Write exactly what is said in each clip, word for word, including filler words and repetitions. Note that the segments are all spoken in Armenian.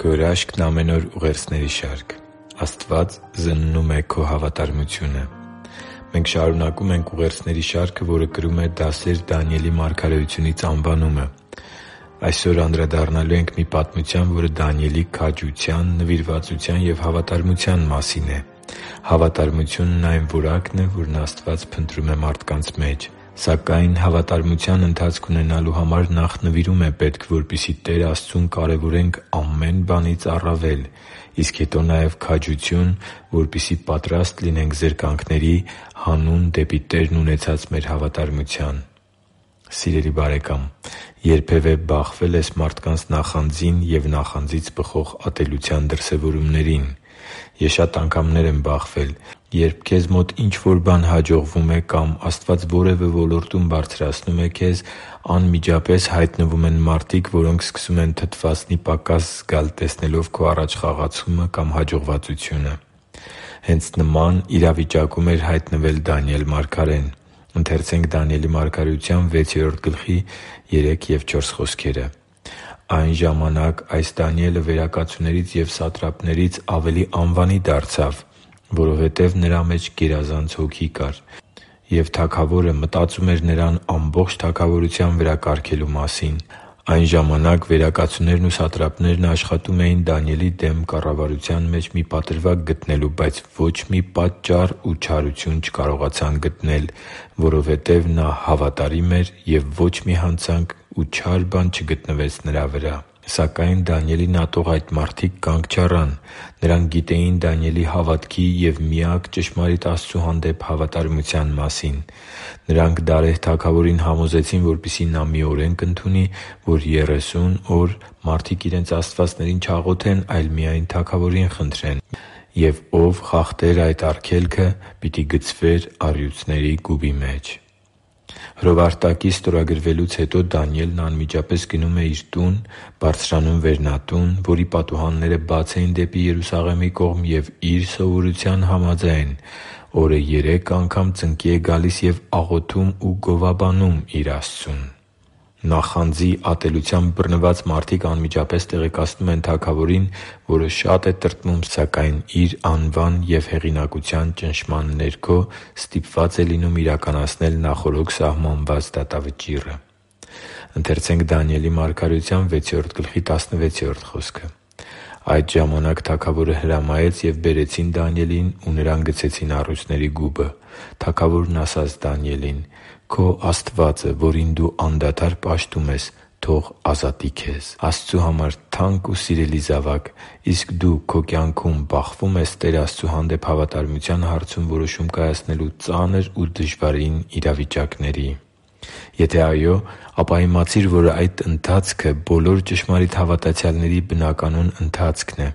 Քո հրաշքն ամեն օր ուղերձների շարք։ Աստված զննում է քո հավատարմությունը։ Մենք շարունակում ենք ուղերձների շարքը, որը կրում է «Դասեր Դանիելի մարգարեությունից» անվանումը։ Այսօր անդրադառնալու ենք մի պատմության, որը Դանիելի քաջության, նվիրվածության և հավատարմության մասին է։ Հավատարմությունն այն որակն է, որն Աստված փնտրում է մարդկանց մեջ։ Սակայն հավատարմության ընթացք ունենալու համար նախ նվիրում է պետք, որպեսզի Տեր Աստծուն կարևորենք ամեն բանից առավել, իսկ հետո նաև քաջություն, որպեսզի պատրաստ լինենք զրկանքների հանուն դեպի Տերն ունեցած մեր հավատարմության։ Սիրելի՛ բարեկամ, երբևէ բախվե՞լ ես մարդկանց նախանձին և նախանձից բխող ատելության դրսևորումներին։ Ես շատ անգամներ եմ բախվել, երբ քեզ մոտ ինչ-որ բան հաջողվում է կամ Աստված որևէ ոլորտում բարձրացնում է քեզ, անմիջապես հայտնվում են մարդիկ, որոնք սկսում են թթվածնի պակաս զգալ, տեսնելով քո առաջ խաղացումը կամ հաջողվածությունը։ Հենց նման իրավիճակում էր հայտնվել Դանիել մարգարեն։ «Այն ժամանակ այս Դանիելը վերակացուներից և սատրապներից ավելի անվանի դարձավ, որովհետև նրա մեջ գերազանց հոգի կար, և թագավորը մտածում էր նրան ամբողջ թագավորության վրա կարգելու մասին։ Այն ժամանակ վերակացուներն ու սատրապներն աշխատում էին Դանիելի դեմ կառավարության մեջ մի պատրվակ գտնելու, բայց ոչ մի պատճառ ու չարություն չկարողացան գտնել, որովհետև նա հավատարիմ էր, և ոչ մի հանցանք ու չար բան չգտնվեց նրա վրա։ Սակայն Դանիելին ատող այդ մարդիկ կանգ չառան։ Նրանք գիտեին Դանիելի հավատքի և միակ ճշմարիտ Աստծու հանդեպ հավատարմության մասին։ Նրանք Դարեհ թագավորին համոզեցին, որպեսզի նա մի օրենք ընդունի, որ երեսուն օր մարդիկ իրենց աստվածներին չաղոթեն, այլ միայն թագավորին խնդրեն, և ով խախտեր այդ արգելքը, պիտի գցվեր առյուծների գուբի մեջ» Հրովարտակի ստորագրվելուց հետո Դանիելն անմիջապես գնում է իր տուն, բարձրանում վերնատուն, որի պատուհանները բաց էին դեպի Երուսաղեմի կողմ, և իր սովորության համաձայն օրը երեք անգամ ծնկի է գալիս և աղոթում ու գովաբանում իր Աստծուն։ Նախանձի ատելությամբ բռնված մարդիկ անմիջապես տեղեկացնում են թագավորին, որը շատ է տրտմում, սակայն իր անվան և հեղինակության ճնշման ներքո ստիպված է լինում իրականացնել նախօրոք սահմանված դատավճիռը։ «Այդ ժամանակ թագավորը հրամայեց, և բերեցին Դանիելին ու նրան գցեցին առյուծների գուբը։ Թագավորն ասաց Դանիելին. «Քո Աստվածը, որին դու անդադար պաշտում ես, թող ազատի քեզ։ Աստծու համար թանկ ու սիրելի՛ զավակ, իսկ դու քո կյանքում բախվո՞ւմ ես Տեր Աստծու հանդեպ հավատարմության հարցում որոշում կայացնելու ծանր ու դժվարին իրավիճակների։ Եթե այո, ապա իմացիր, որ այդ ընթացքը բոլոր ճշմարիտ հավատացյալների բնականոն ընթացքն է։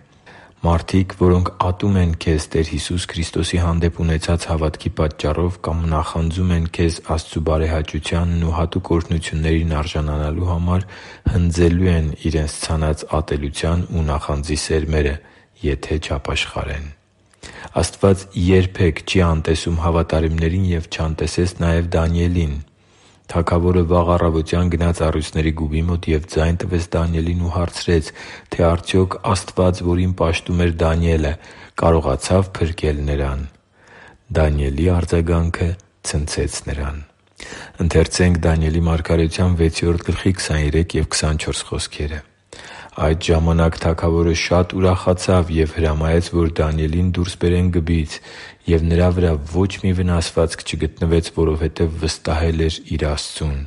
Մարդիկ, որոնք ատում են քեզ Տեր Հիսուս Քրիստոսի հանդեպ ունեցած հավատքի պատճառով կամ նախանձում են քեզ Աստծու բարեհաճությանն ու հատուկ օրհնություններին արժանանալու համար, հնձելու են իրենց ցանած ատելության ու նախանձի սերմերը, եթե չապաշխարեն։ Աստված երբե՛ք չի անտեսում հավատարիմներին և չանտեսեց նաև Դանիելին։ Թագավորը վաղ առավոտյան գնաց առյուծների գուբի մոտ և ձայն տվեց Դանիելին ու հարցրեց, թե արդյոք Աստված, որին պաշտում էր Դանիելը, կարողացա՞վ փրկել նրան։ Դանիելի արձագանքը ցնցեց նրան։ «Այդ ժամանակ թագավորը շատ ուրախացավ և հրամայեց, որ Դանիելին դուրս բերեն գբից, և նրա վրա ոչ մի վնասվածք չգտնվեց, որովհետև վստահել էր իր Աստծուն։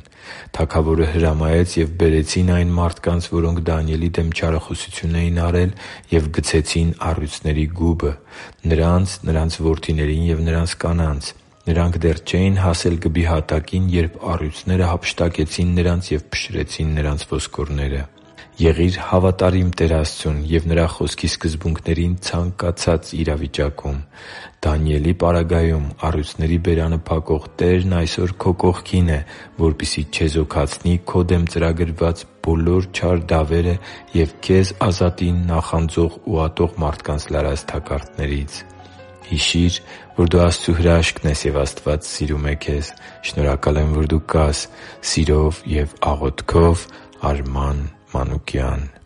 Թագավորը հրամայեց, և բերեցին այն մարդկանց, որոնք Դանիելի դեմ չարախոսություն էին արել, և գցեցին առյուծների գուբը՝ նրանց, նրանց որդիներին և նրանց կանանց։ Նրանք դեռ չէին հասել գբի հատակին, երբ առյուծները հափշտակեցին նրանց և փշրեցին նրանց ոսկորները։ Եղի՛ր հավատարիմ Տեր Աստծուն և Նրա Խոսքի սկզբունքներին ցանկացած իրավիճակում։ Դանիելի պարագայում առյուծների բերանը փակող Տերն այսօր քո կողքին է, որպեսզի չեզոքացնի քո դեմ ծրագրված բոլոր չար դավերը և քեզ ազատի նախանձող ու ատող մարդկանց լարած թակարդներից։ Հիշի՛ր, որ դու Աստծո հրաշքն ես, և Աստված սիրում է քեզ։ Շնորհակալ եմ, որ դու կա՛ս։ Սիրով և աղոթքով, Արման Մանուկյան։